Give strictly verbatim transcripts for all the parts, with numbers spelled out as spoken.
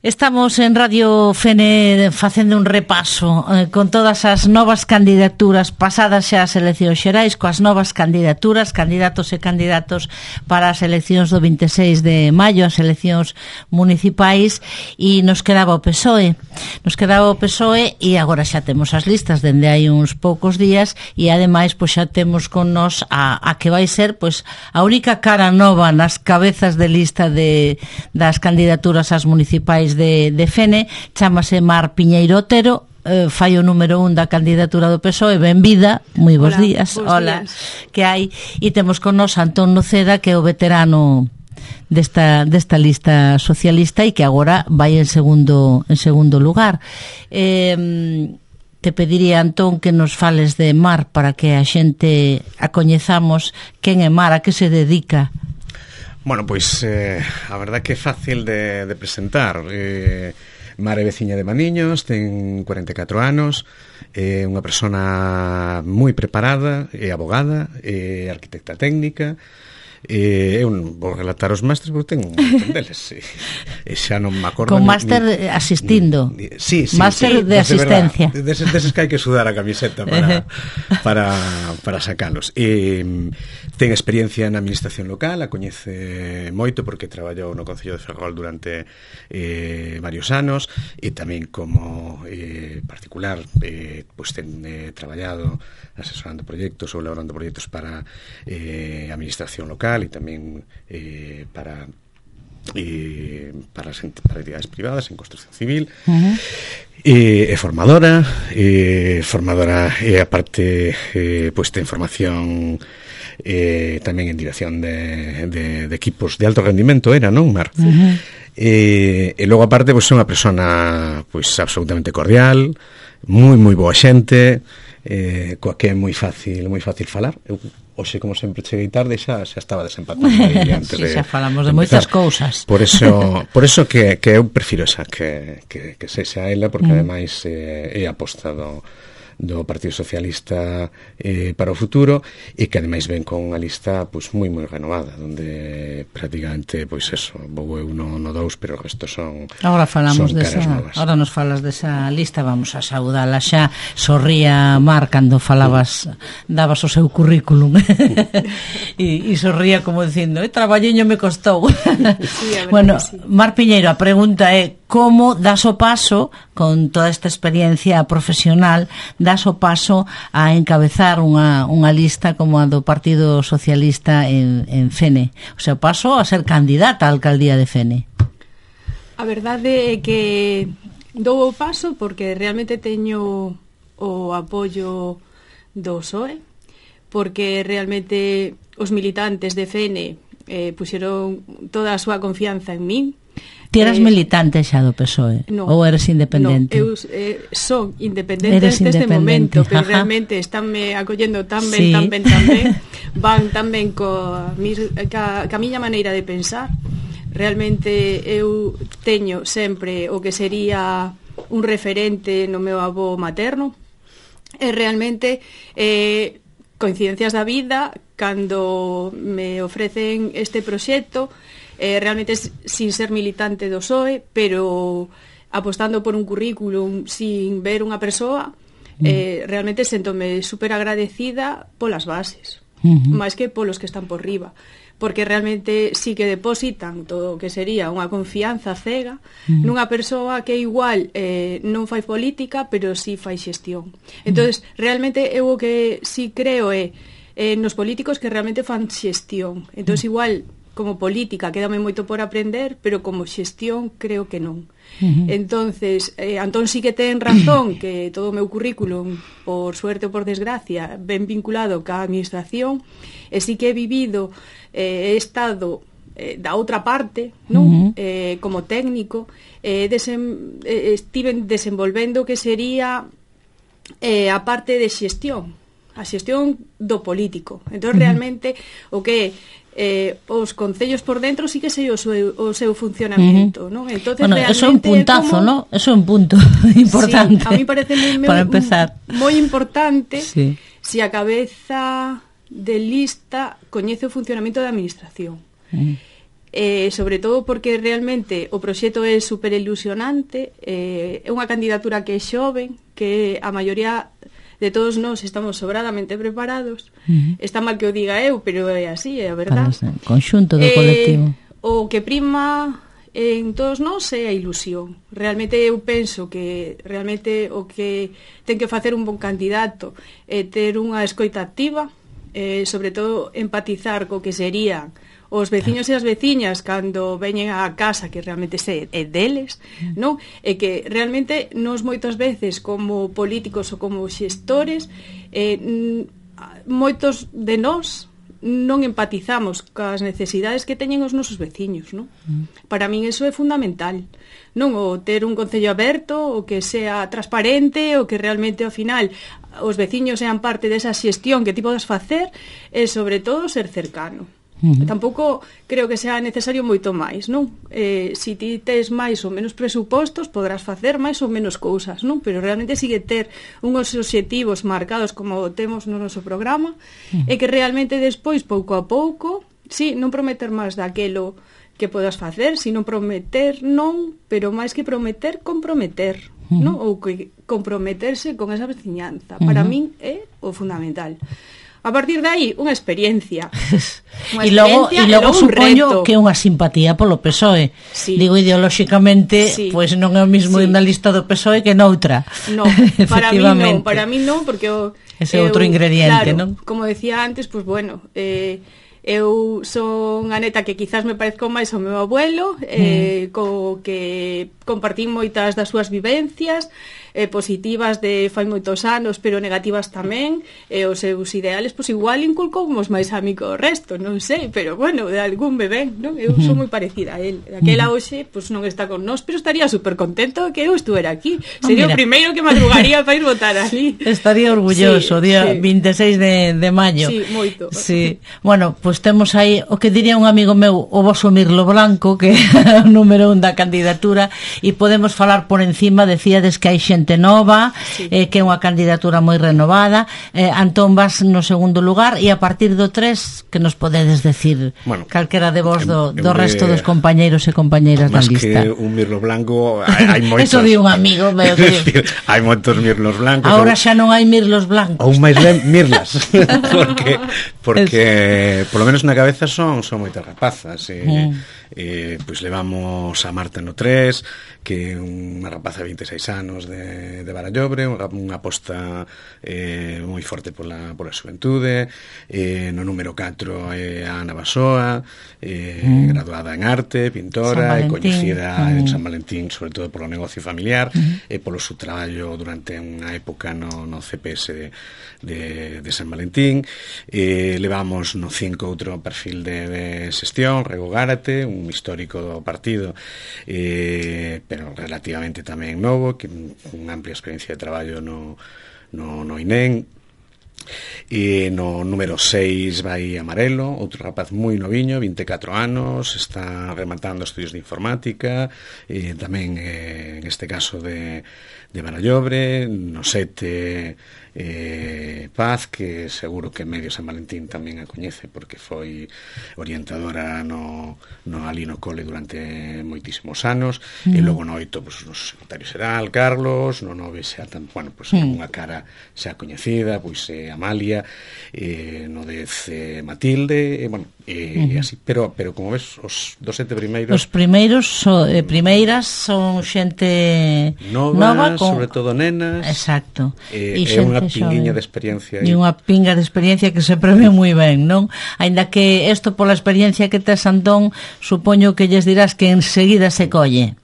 Estamos en Radio Fene facendo un repaso eh, con todas as novas candidaturas pasadas xa as eleccións xerais, coas novas candidaturas, candidatos e candidatos para as eleccións do vinte e seis de maio, as eleccións municipais, e nos quedaba o P S O E. Nos quedaba o P S O E e agora xa temos as listas dende hai uns poucos días e ademais pois xa temos con nós a, a que vai ser pois a única cara nova nas cabezas de lista de, das candidaturas ás municipais de, de Fene. Chámase Mar Piñeiro Otero, eh, fai o número un da candidatura do P S O E. Benvida, moi bons Hola, días. bons Hola, días. Que hai, e temos con nós Antón Noceda, que é o veterano desta desta lista socialista e que agora vai en segundo en segundo lugar. Eh, te pediría, Antón, que nos fales de Mar para que a xente a coñezamos. Quen é Mar, a que se dedica? Bueno, pois eh, a verdad que é fácil de, de presentar. eh, Mar é veciña de Maniños, ten cuarenta e catro anos, é unha persona moi preparada, é abogada, é arquitecta técnica. Eh, eu non vou relatar os másteres porque ten un montón deles, e, e xa non me acordo con ni, máster ni, asistindo ni, sí, sí, máster sí, de asistencia, de deses, deses que hai que sudar a camiseta para, para, para sacalos. E ten experiencia na administración local, a coñece moito porque traballou no Concello de Ferrol durante eh, varios anos, e tamén como eh, particular eh, pues ten eh, traballado asesorando proxectos ou elaborando proxectos para eh, administración local e tamén eh, para eh, para, as, para entidades privadas en construcción civil. Uh-huh. E é formadora e formadora e aparte eh, pues ten formación eh, tamén en dirección de, de, de equipos de alto rendimento, era, non, Mar? Uh-huh. E, e logo aparte pues é unha persona pues absolutamente cordial, moi moi boa xente, eh, coa que é moi fácil moi fácil falar. Eu hoxe, como sempre, cheguei tarde e xa, xa estaba desempatando aí antes sí, de, xa falamos de, de moitas cousas. Por eso, por eso que, que eu prefiro esa que, que, que sexa ela, porque mm. ademais eh, é aposta do, do Partido Socialista eh, para o futuro, e que ademais ven con unha lista pues, moi moi renovada, onde prácticamente pois pues, eso, vou eu no, no dous, pero o resto son agora falamos son desa, novas. Ahora nos falas desa lista, vamos a saudala xa. Sorría Mar cando falabas, dabas o seu currículum e, e sorría como dicindo, eh, traballiño me costou. Sí, bueno, sí. Mar Piñeiro, a pregunta é como das o paso, con toda esta experiencia profesional, das o paso a encabezar unha, unha lista como a do Partido Socialista en, en Fene? O sea, paso a ser candidata á alcaldía de Fene. A verdade é que dou o paso porque realmente teño o apoio do P S O E, porque realmente os militantes de Fene eh, puxeron toda a súa confianza en min. Ti eras eh, militante xa do P S O E? No, ou eres independente? No, eu eh, son independente Eres desde este momento, pero ajá. realmente estánme acollendo tan Sí. ben, tan ben, tan ben, van tan ben coa, mis, ca, ca miña maneira de pensar. Realmente eu teño sempre o que sería un referente no meu avó materno, e realmente eh, coincidencias da vida, cando me ofrecen este proxecto, eh, realmente sin ser militante do P S O E, pero apostando por un currículum sin ver unha persoa, eh, realmente sentome super agradecida polas bases, uh-huh. máis que polos que están por riba, porque realmente sí que depositan todo o que sería unha confianza cega uh-huh. nunha persoa que igual eh, non fai política, pero sí fai xestión. Entonces, uh-huh. realmente eu o que sí creo é eh, nos políticos que realmente fan xestión. Entonces, uh-huh. igual como política quédame moito por aprender, pero como xestión creo que non. Uh-huh. Entonces, eh, Antón sí que ten razón que todo o meu currículum, por suerte ou por desgracia, ben vinculado ca administración, e sí que he vivido, eh, he estado eh, da outra parte, non? Uh-huh. eh, como técnico, eh, desem, eh, estiven desenvolvendo que sería eh, a parte de xestión, a xestión do político. Entón, uh-huh. realmente, o que eh, os concellos por dentro sí que sei o seu, o seu funcionamento, uh-huh. ¿no? Entonces, bueno, realmente eso é un puntazo, como... ¿no? Eso é un punto importante. Sí, a mí parece moi, para empezar. moi importante sí. si a cabeza de lista coñece o funcionamento da administración. Uh-huh. eh, sobre todo porque realmente o proxecto é super ilusionante, eh, é unha candidatura que é xoven, que a maioría de todos nós estamos sobradamente preparados. Uh-huh. Está mal que o diga eu, pero é así, é a verdad. Para o conxunto do eh, colectivo. O que prima en todos nós é a ilusión. Realmente eu penso que realmente o que ten que facer un bon candidato é ter unha escoita activa, eh, sobre todo empatizar co que serían os veciños e as veciñas cando veñen á casa, que realmente se é deles, non? E que realmente nos moitas veces como políticos ou como xestores, eh, moitos de nós non empatizamos cas necesidades que teñen os nosos veciños, non? Para min iso é fundamental, non? O ter un concello aberto, o que sea transparente, o que realmente ao final os veciños sean parte desa xestión que ti podes facer, e sobre todo ser cercano. Uh-huh. Tampouco creo que sea necesario moito máis, non? Eh, si ti tes máis ou menos presupostos, podrás facer máis ou menos cousas, non? Pero realmente sigue ter uns obxectivos marcados como temos no noso programa, uh-huh. e que realmente despois, pouco a pouco, si, non prometer máis daquelo que podas facer, sino prometer non, pero máis que prometer, comprometer, uh-huh. non? Ou que comprometerse con esa veciñanza. Uh-huh. Para min é o fundamental. A partir de aí, unha experiencia. E logo, e logo supoño que é unha simpatía polo P S O E. Sí. Digo, ideolóxicamente, sí. Pois non é o mismo sí. Na lista do P S O E que noutra. No, para mí non, para mí non, porque o, ese é outro ingrediente, claro, non? Como decía antes, pois pues, bueno, eh, eu son a neta que quizás me parezco máis ao meu abuelo, eh, mm. co que compartín moitas das súas vivencias, eh, positivas de fai moitos anos, pero negativas tamén, e os seus ideales, pois igual inculcoumos máis a mí co resto, non sei, pero bueno, de algún bebé, non? Eu sou moi parecida a él. Aquela hoxe, pois non está con nós, pero estaría super contento que eu estuera aquí. Sería oh, o primeiro que madrugaría para ir votar ali. Estaría orgulloso, sí, día sí. vinte e seis de, de maio. Sí, moito. Sí. Bueno, pois temos aí o que diría un amigo meu, o voso Mirlo Blanco, que é o número un da candidatura, e podemos falar por encima, decíades que hai xente nova, sí. eh, que é unha candidatura moi renovada. eh, Antón vas no segundo lugar, e a partir do tres, que nos podedes decir, bueno, calquera de vos do, do resto dos compañeiros e compañeiras da lista? Más que un Mirlo Blanco, hai, hai moitos. Eso di un amigo meu. Hai moitos Mirlos blancos. Agora xa non hai Mirlos blancos. Ou máis ben Mirlas. porque porque por lo menos na cabeza son son moitas rapazas. E, mm. eh, pois levamos a Marta no tres, que é unha rapaza de vinte e seis anos de, de Barallobre, unha aposta eh, moi forte pola, pola xuventude. Eh, no número catro é a Ana Basoa, eh, mm. graduada en arte, pintora, e coñecida mm. en San Valentín, sobre todo polo negocio familiar, mm. e polo seu traballo durante unha época no, no C P S de, de, de San Valentín. Eh, levamos no cinco outro perfil de, de xestión, Rego Gárate, un histórico do partido, eh, pero relativamente tamén novo, que unha amplia experiencia de traballo no, no, no I N E M. E no número seis vai Amarelo, outro rapaz moi noviño, vinte e catro anos, está rematando estudios de informática, e tamén eh, en este caso de, de Barallobre. No sete eh, Paz, que seguro que medio San Valentín tamén a coñece, porque foi orientadora no, no ali no cole durante moitísimos anos. Mm. E logo no oito, pues, o secretario xeral Carlos, no nove xa tan, bueno, pues, mm. unha cara xa coñecida, pois eh, Amalia, eh, no dez eh, Matilde, e, bueno, e, mm. así, pero pero como ves, os dos sete primeiros, os primeiros so, eh, primeiras son xente nova, nova con... sobre todo nenas. Exacto. E, e unha pinguiña de experiencia. E unha pinga de experiencia que se prevé moi ben, non? Aínda que isto pola experiencia que tes, Antón, supoño que lles dirás que enseguida se colle.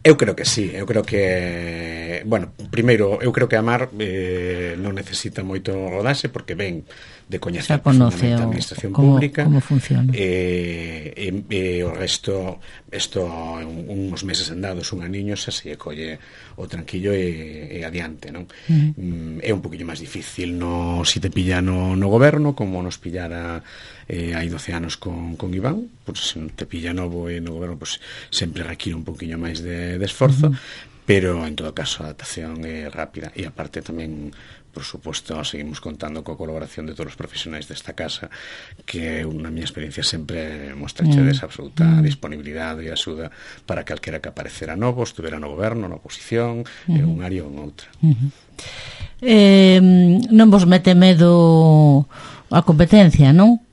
Eu creo que sí, eu creo que, bueno, primeiro, eu creo que a Mar eh, non necesita moito rodaxe, porque ven de coñecer profundamente a administración como, pública, como funciona, e, e, e o resto, isto uns meses andados, un aniño xa se colle o tranquillo e, e adiante, non? Uh-huh. É un poquinho máis difícil no, si te pilla no, no goberno, como nos pillara eh, hai doce anos con, con Iván, pues, se non te pilla novo e no goberno, pues, sempre require un poquinho máis de, de esforzo. Uh-huh. pero en todo caso a adaptación é rápida, e aparte tamén, por suposto, seguimos contando coa colaboración de todos os profesionais desta casa, que unha miña experiencia sempre mostra mm. desa absoluta mm. disponibilidade e axuda para calquera que aparecera novo, estuvera no goberno, na oposición, mm. en un área ou en outra. Mm-hmm. eh, non vos mete medo a competencia, non?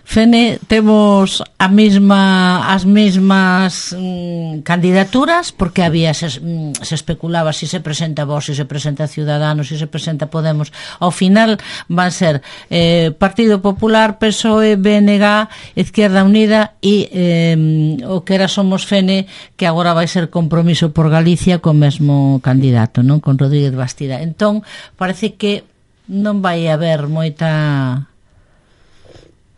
Fene, temos a mesma, as mesmas mm, candidaturas, porque había se, mm, se especulaba si se presenta Vox, si se presenta Ciudadanos, si se presenta Podemos. Ao final van ser eh, Partido Popular, P S O E, B N G, Izquierda Unida e eh, o que era Somos Fene, que agora vai ser Compromiso por Galicia co mesmo candidato, non? Con Rodríguez Bastida. Entón, parece que non vai haber moita...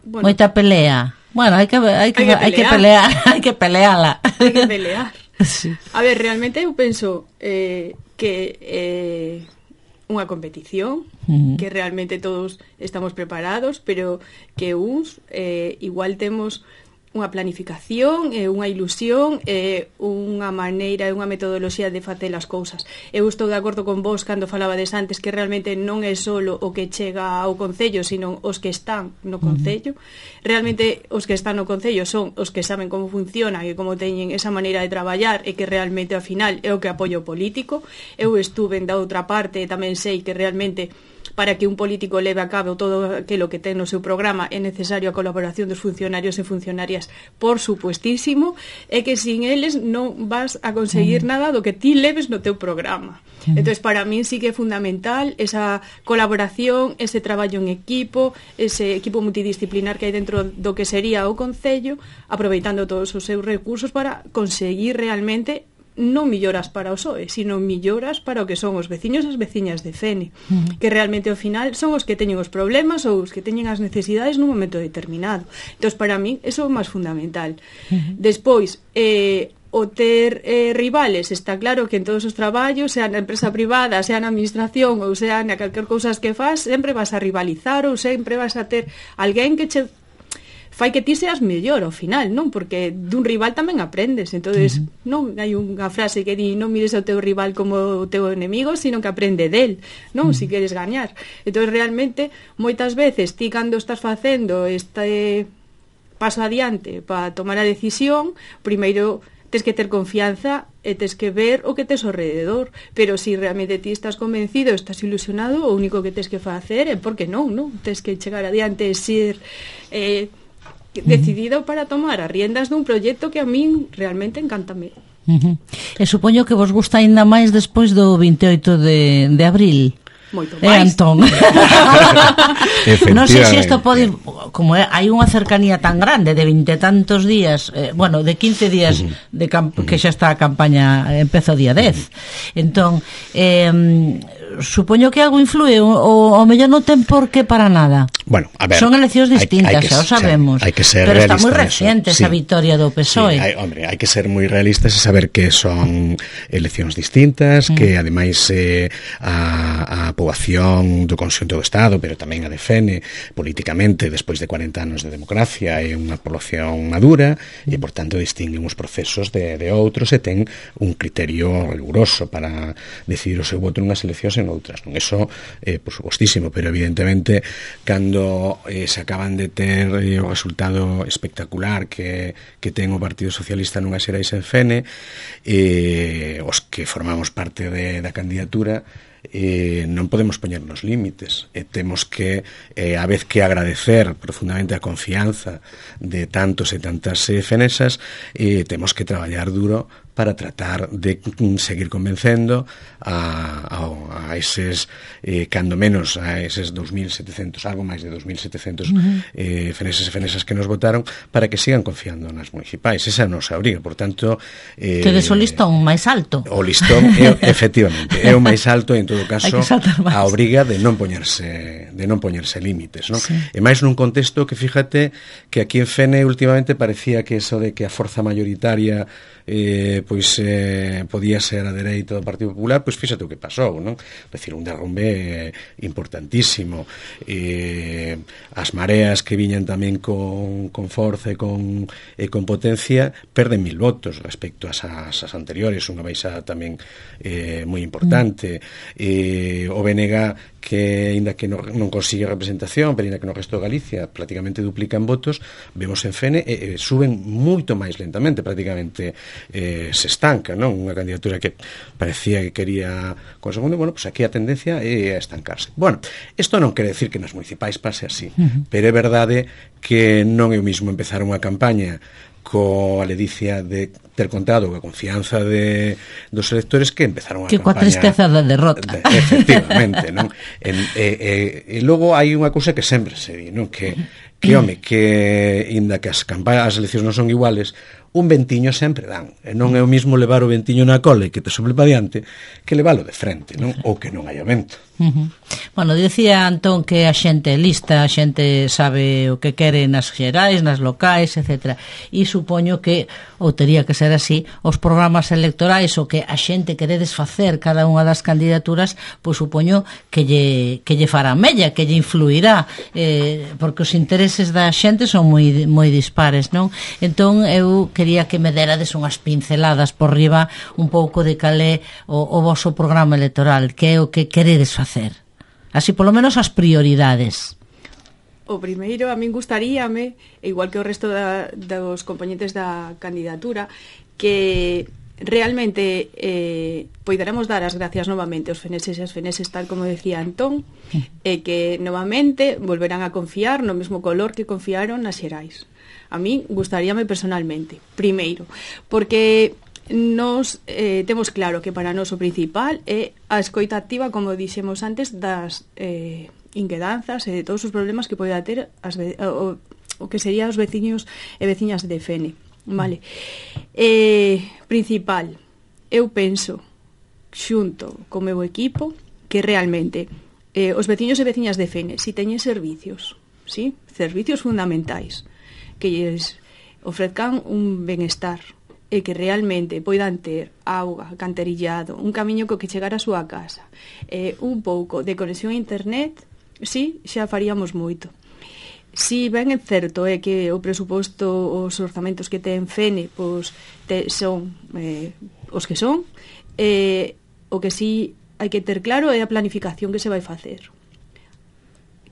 Bueno, moita pelea. Bueno, hai que hai que hai que pelear, hai que peleala. Hai que pelear. Sí. A ver, realmente eu penso eh, que eh, unha competición, uh-huh. que realmente todos estamos preparados, pero que uns eh, igual temos unha planificación, e unha ilusión, e unha maneira e unha metodoloxía de facer as cousas. Eu estou de acordo con vos cando falabades antes que realmente non é solo o que chega ao Concello, sino os que están no Concello. Realmente os que están no Concello son os que saben como funciona e como teñen esa maneira de traballar, e que realmente ao final é o que apoio político. Eu estuve da outra parte e tamén sei que realmente para que un político leve a cabo todo aquilo que ten no seu programa é necesario a colaboración dos funcionarios e funcionarias, por supuestísimo, e que sin eles non vas a conseguir mm. nada do que ti leves no teu programa. Mm. Entón, para min sí que é fundamental esa colaboración, ese traballo en equipo, ese equipo multidisciplinar que hai dentro do que sería o Concello, aproveitando todos os seus recursos para conseguir realmente non milloras para o P S O E, sino milloras para o que son os veciños e as veciñas de Fene, uh-huh. que realmente ao final son os que teñen os problemas ou os que teñen as necesidades nun momento determinado. Entón, para mí, eso é o máis fundamental. Uh-huh. Despois, eh, o ter eh, rivales, está claro que en todos os traballos, sea na empresa privada, sea na administración ou sea na calquer cousas que faz, sempre vas a rivalizar ou sempre vas a ter alguén que che fai que ti seas mellor ao final, non? Porque dun rival tamén aprendes. Entonces, uh-huh. non hai unha frase que di non mires ao teu rival como o teu enemigo, sino que aprende del, non? Uh-huh. Si queres gañar. Entonces, realmente, moitas veces ti cando estás facendo este paso adiante para tomar a decisión, primeiro tes que ter confianza e tes que ver o que tes ao rededor, pero se si realmente ti estás convencido, estás ilusionado, o único que tes que facer é porque non, non? Tes que chegar adiante e ser eh, decidido para tomar as riendas dun proxecto que a min realmente encántame. Uh-huh. E supoño que vos gusta ainda máis despois do vinte e oito de, de abril. Moito máis. Eh, Antón. Non sei se isto pode, como é, hai unha cercanía tan grande de vinte e tantos días, eh, bueno, de quince días uh-huh. de camp- que xa está a campaña, empeza o día dez. Uh-huh. Entón, eh, supoño que algo influe, o, o mellor non ten por que para nada. Bueno, a ver, son eleccións distintas, hay, hay que, xa o sabemos. Hay que ser pero está moi reciente esa sí. victoria do P S O E. Sí, hay, hombre, hai que ser moi realistas e saber que son eleccións distintas, mm. que ademais eh, a, a poboación do conxunto do Estado, pero tamén a de Fene, políticamente, despois de cuarenta anos de democracia, é unha población madura mm. e, por tanto, distinguen os procesos de, de outros e ten un criterio riguroso para decidir o seu voto nunhas eleccións e noutras. Non? Eso, eh, por supostísimo, pero evidentemente, cando eh, se acaban de ter eh, o resultado espectacular que, que ten o Partido Socialista nunhas xerais en Fene, eh, os que formamos parte de, da candidatura, eh, non podemos poñernos límites, e temos que eh, a vez que agradecer profundamente a confianza de tantos e tantas eh, fenesas, eh, temos que traballar duro para tratar de seguir convencendo a, a, a eses, eh, cando menos a eses dos mil setecentos, algo máis de dos mil setecentos uh-huh. eh, feneses e fenesas que nos votaron, para que sigan confiando nas municipais. Esa é a nosa obriga, por tanto... Eh, Tedes o listón máis alto. O listón, é, efectivamente, é o máis alto, en todo caso, a obriga de non poñerse de non poñerse límites, non? Sí. E máis nun contexto que, fíjate, que aquí en Fene últimamente parecía que eso de que a forza mayoritaria eh, pois eh, podía ser a dereita do Partido Popular, pois fíxate o que pasou, non? Decir, un derrumbe importantísimo, e as mareas que viñan tamén con, con forza e con, e con potencia perden mil votos respecto ás, ás anteriores, unha baixada tamén eh, moi importante. E o B N G que, ainda que non, non consigue representación, pero ainda que no resto de Galicia prácticamente duplican votos, vemos en Fene e eh, suben moito máis lentamente, prácticamente eh, se estanca, non? Unha candidatura que parecía que quería con segundo, bueno, pues aquí a tendencia é a estancarse. Bueno, isto non quere decir que nas municipais pase así, uh-huh. pero é verdade que non é o mismo empezar unha campaña coa ledicia de ter contado coa confianza de, dos electores que empezaron a que campaña... Que coa tristeza da derrota. De, efectivamente, non? E, e, e, e logo hai unha cousa que sempre se di, non? Que, que home, que inda que as campañas, as eleccións non son iguales, un ventiño sempre dan. E non é o mismo levar o ventiño na cola e que te sople para diante que leválo de frente, non? Ou que non hai vento. Uh-huh. Bueno, dicía Antón que a xente é lista, a xente sabe o que quere nas xerais, nas locais, etcétera. E supoño que, ou tería que ser así, os programas electorais o que a xente queredes facer cada unha das candidaturas, pois supoño que lle, que lle fará mella, que lle influirá, eh, porque os intereses da xente son moi, moi dispares, non? Entón, eu quería que me derades unhas pinceladas por riba un pouco de cal é o, o voso programa electoral, que é o que queredes facer. Así, polo menos, as prioridades. O primeiro, a min gustaríame, igual que o resto da, dos componentes da candidatura, que realmente eh, poideramos dar as gracias novamente aos feneses e as feneses, tal como decía Antón, e que novamente volverán a confiar no mesmo color que confiaron nas xerais. A min gustaríame personalmente, primeiro, porque nos eh, temos claro que para nós o principal é a escoita activa, como dixemos antes, das eh, inquedanzas e de todos os problemas que poida ter as, o, o que serían os veciños e veciñas de Fene, vale? Eh, principal, eu penso xunto co meu equipo que realmente eh, os veciños e veciñas de Fene si teñen servicios, ¿sí? Servicios fundamentais que lles ofrezcan un benestar e que realmente poidan ter auga, canterillado, un camiño co que chegar a súa casa, eh, un pouco de conexión a internet, sí, xa faríamos moito. Si ben é certo é que o presuposto, os orzamentos que ten Fene, pois te, son eh, os que son, eh, o que si hai que ter claro é a planificación que se vai facer.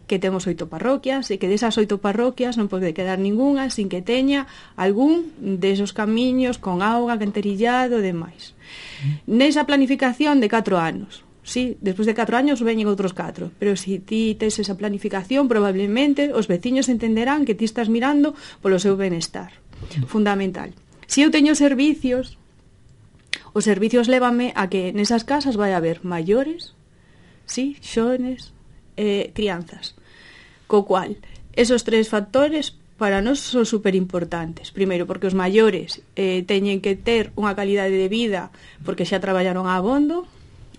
Que temos oito parroquias e que desas oito parroquias non pode quedar ningunha sin que teña algún desos camiños con auga, canterillado e demais. Nesa planificación de catro anos, sí, despois de catro anos veñen outros catro, pero se si ti tes esa planificación, probablemente os veciños entenderán que ti estás mirando polo seu benestar. Fundamental. Se eu teño servicios, os servicios lévame a que nesas casas vai haber maiores, sí, xones, eh, crianzas, co cual esos tres factores para nós son super importantes. Primeiro, porque os maiores eh, teñen que ter unha calidade de vida porque xa traballaron a abondo,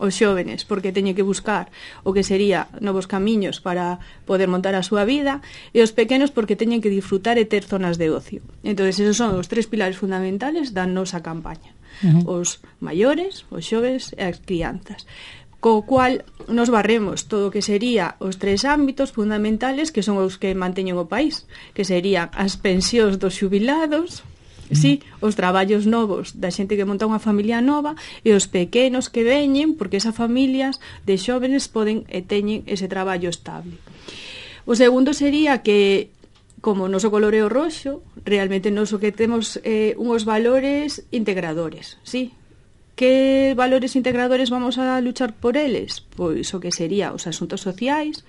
os xóvenes porque teñen que buscar o que sería novos camiños para poder montar a súa vida, e os pequenos porque teñen que disfrutar e ter zonas de ocio. Entón, esos son os tres pilares fundamentales da nosa campaña. Uh-huh. Os maiores, os xoves e as crianzas, co cual nos barremos todo o que sería os tres ámbitos fundamentales que son os que manteñen o país, que serían as pensións dos xubilados, mm. sí, os traballos novos da xente que monta unha familia nova e os pequenos que veñen porque esas familias de xóvenes poden e teñen ese traballo estable. O segundo sería que, como o noso color é o roxo, realmente nos o que temos eh, unhos valores integradores, sí. Que valores integradores vamos a luchar por eles? Pois o que sería os asuntos sociais,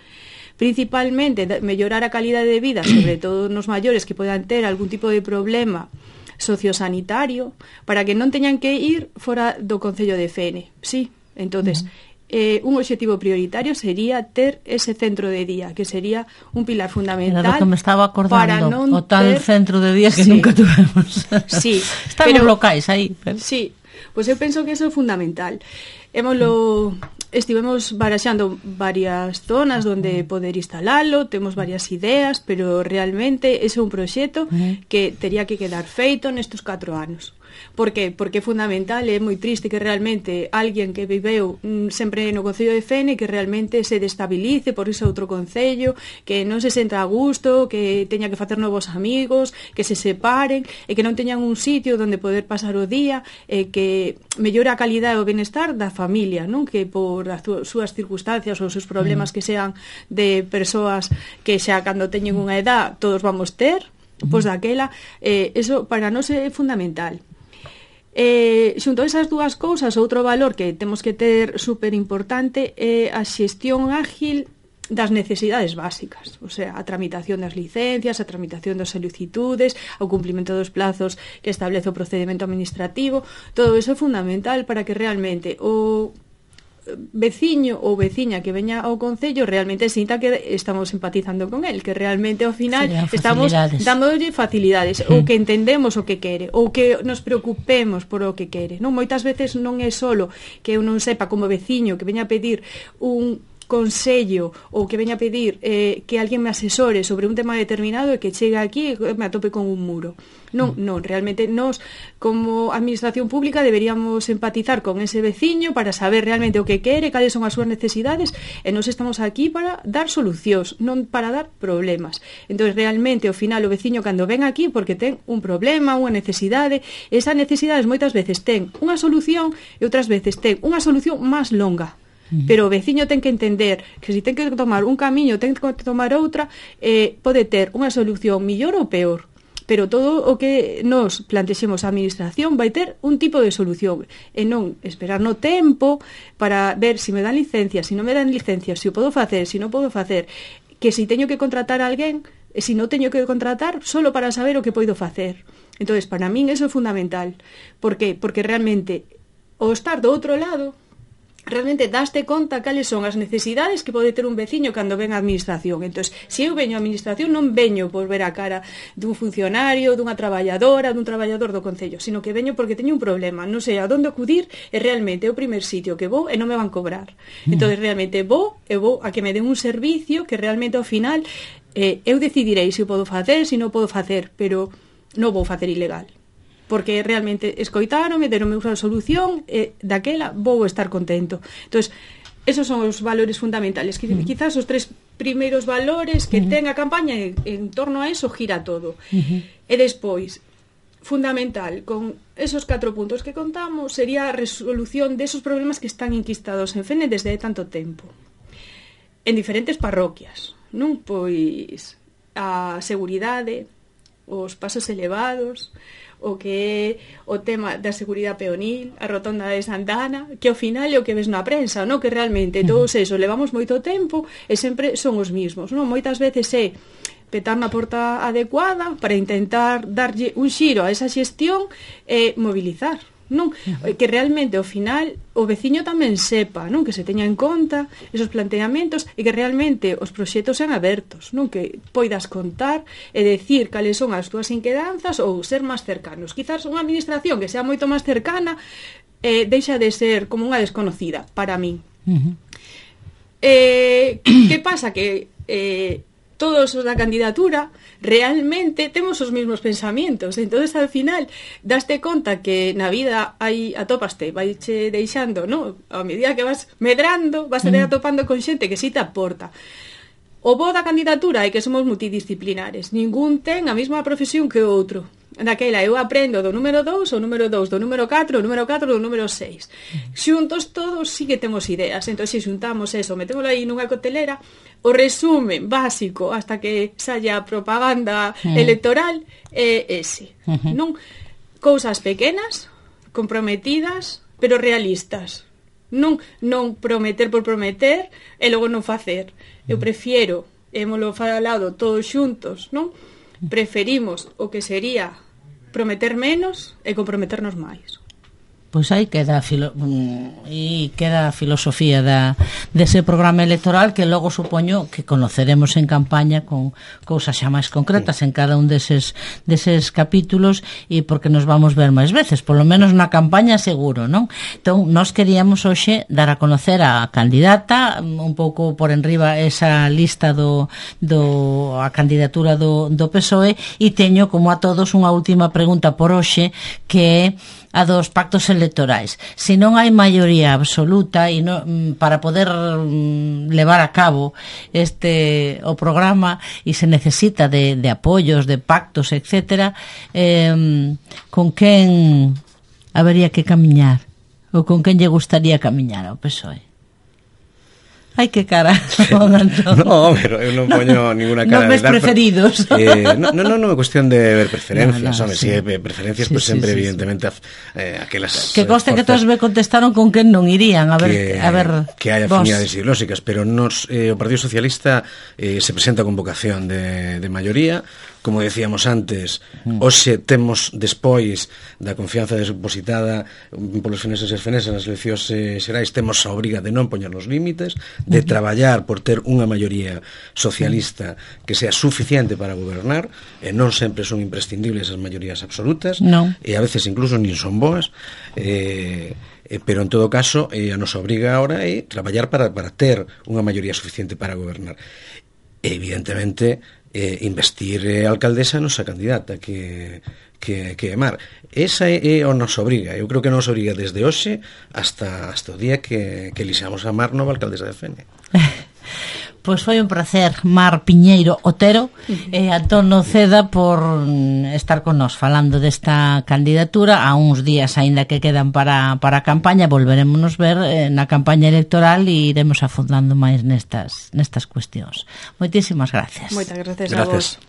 principalmente mellorar a calidade de vida, sobre todo nos maiores que podan ter algún tipo de problema sociosanitario, para que non teñan que ir fora do concello de Fene, sí. Entonces, uh-huh. eh, un obxectivo prioritario sería ter ese centro de día, que sería un pilar fundamental. Era do que me estaba acordando, para non o tal ter... centro de día que sí. nunca tuvemos. Sí, están pero... os locais aí. Pero... Sí. Pois eu penso que eso é fundamental. Hémolo, estivemos baraxando varias zonas onde poder instalalo, temos varias ideas, pero realmente ese é un proxecto que tería que quedar feito nestes catro anos. Por que? Porque é fundamental, é moi triste que realmente alguén que viveu mm, sempre no Concello de Fene que realmente se destabilice por ese outro concello, que non se senta a gusto, que teña que facer novos amigos, que se separen e que non teñan un sitio onde poder pasar o día, e que mellore a calidade e o benestar da familia, non? Que por as súas circunstancias ou os seus problemas que sean de persoas que xa cando teñen unha edad todos vamos ter, pois daquela, eh, eso para nós é fundamental. Eh, xunto a esas dúas cousas, outro valor que temos que ter super importante é a xestión ágil das necesidades básicas, o sea, a tramitación das licencias, a tramitación das solicitudes, o cumplimento dos plazos que establece o procedimento administrativo. Todo iso é fundamental para que realmente o veciño ou veciña que veña ao concello realmente sinta que estamos empatizando con el, que realmente ao final estamos dándolle facilidades, mm. ou que entendemos o que quere, ou que nos preocupemos por o que quere, non? Moitas veces non é solo que eu non sepa como veciño que veña a pedir un consello ou que veña a pedir eh, que alguén me asesore sobre un tema determinado e que chegue aquí e me atope con un muro. Non, non, realmente nós como administración pública deberíamos empatizar con ese veciño para saber realmente o que quere, cales son as súas necesidades, e nós estamos aquí para dar solucións, non para dar problemas. Entón, realmente, ao final, o veciño cando ven aquí porque ten un problema, unha necesidade, esas necesidades moitas veces ten unha solución e outras veces ten unha solución máis longa. Pero o veciño ten que entender que se ten que tomar un camiño, ten que tomar outra, eh, pode ter unha solución mellor ou peor, pero todo o que nos plantexemos a administración vai ter un tipo de solución e non esperar no tempo para ver se me dan licencia, se non me dan licencia, se o podo facer, se non podo facer, que se teño que contratar a alguén e se non teño que contratar solo para saber o que podo facer. Entón, para min eso é fundamental. Por que? Porque realmente o estar do outro lado realmente daste conta cales son as necesidades que pode ter un veciño cando ven a administración. Entón, se eu veño a administración non veño por ver a cara dun funcionario, dunha traballadora, dun traballador do concello, sino que veño porque teño un problema, non sei a onde acudir e realmente é o primer sitio que vou e non me van cobrar. Entón, realmente vou e vou a que me den un servicio que realmente ao final eh, eu decidirei se o podo facer, se non podo facer, pero non vou facer ilegal. Porque realmente escoitaronme, deronme unha solución e daquela vou estar contento. Entón, esos son os valores fundamentales. Uh-huh. Quizás os tres primeiros valores que uh-huh. ten a campaña e en torno a eso gira todo. Uh-huh. E despois, fundamental, con esos catro puntos que contamos, sería a resolución desos problemas que están enquistados en Fene desde hai tanto tempo. En diferentes parroquias, non? Pois a seguridade, os pasos elevados, o que é o tema da seguridade peonil, a rotonda de Santana, que ao final é o que ves na prensa, non? Que realmente todos eso levamos moito tempo e sempre son os mismos, non? Moitas veces é petar na porta adecuada para intentar darlle un xiro a esa xestión e mobilizar, non? Que realmente ao final o veciño tamén sepa, non? Que se teña en conta esos planteamentos e que realmente os proxectos sean abertos, non? Que poidas contar e decir cales son as túas inquedanzas ou ser máis cercanos. Quizás unha administración que sea moito máis cercana eh, deixa de ser como unha desconocida para min. Uh-huh. eh, que pasa? Que eh, todos os da candidatura realmente temos os mesmos pensamientos, entonces al final daste conta que na vida hai atopaste, vaiche deixando, no? A medida que vas medrando vas a ir atopando con xente que si te aporta. O bo da candidatura é que somos multidisciplinares, ningún ten a mesma profesión que o outro. Daquela eu aprendo do número dous, o número dous, do número catro, o número catro, do número seis. Xuntos todos sí que temos ideas. Entón, se xuntamos eso, metémoslo aí nunha cotelera, o resumen básico hasta que saia propaganda uh-huh. electoral é ese. Uh-huh. Non? Cousas pequenas, comprometidas, pero realistas. Non, non prometer por prometer e logo non facer. Eu prefiero, hémolo falado todos xuntos, non? Preferimos o que sería prometer menos e comprometernos máis. Pois aí queda filo, e queda a filosofía da, dese programa electoral que logo supoño que conoceremos en campaña con cousas xa máis concretas en cada un deses, deses capítulos, e porque nos vamos ver máis veces, polo menos na campaña seguro, non? Entón, nós queríamos hoxe dar a conocer a candidata, un pouco por enriba esa lista do, do a candidatura do, do P S O E, e teño como a todos unha última pregunta por hoxe, que é a dos pactos electorais. Se non hai maioría absoluta e non, para poder levar a cabo este o programa, e se necesita de, de apoios, de pactos, etcétera, eh, con quen habería que camiñar, ou con quen lle gustaría camiñar ao P S O E? Ai, que cara, no, pero eu non poño ninguna cara. Non ves preferidos. Eh, non, non, non é cuestión de ver preferencias, no, no, home, sí. Si é preferencias, sí, pues sí, sempre, sí, evidentemente, sí. Eh, aquelas... Que conste que todos me contestaron con quen non irían, a ver... Que, a ver que hai afinidades ideolóxicas, pero nos, eh, o Partido Socialista eh, se presenta con vocación de, de maioría. Como decíamos antes, hoxe temos, despois da confianza depositada polos feneses e fenesas nas eleccións eh, xerais, temos a obriga de non poñer nos límites, de traballar por ter unha maioría socialista que sea suficiente para gobernar, e non sempre son imprescindibles as maiorías absolutas, no. E a veces incluso nin son boas, eh, eh, pero en todo caso eh, a nosa obriga agora é traballar para, para ter unha maioría suficiente para gobernar. E evidentemente eh, investir a alcaldesa a nosa candidata que, que, que é Mar. Esa é, é a nosa obriga. Eu creo que a nosa obriga desde hoxe hasta, hasta o día que, que elixamos a Mar nova alcaldesa de Fene. Pois foi un placer, Mar Piñeiro Otero e Antón Noceda, por estar con nós falando desta candidatura a uns días aínda que quedan para, para a campaña. Volveremos ver eh, na campaña electoral e iremos afondando máis nestas, nestas cuestións. Moitísimas gracias. Moitas gracias, gracias. a vos.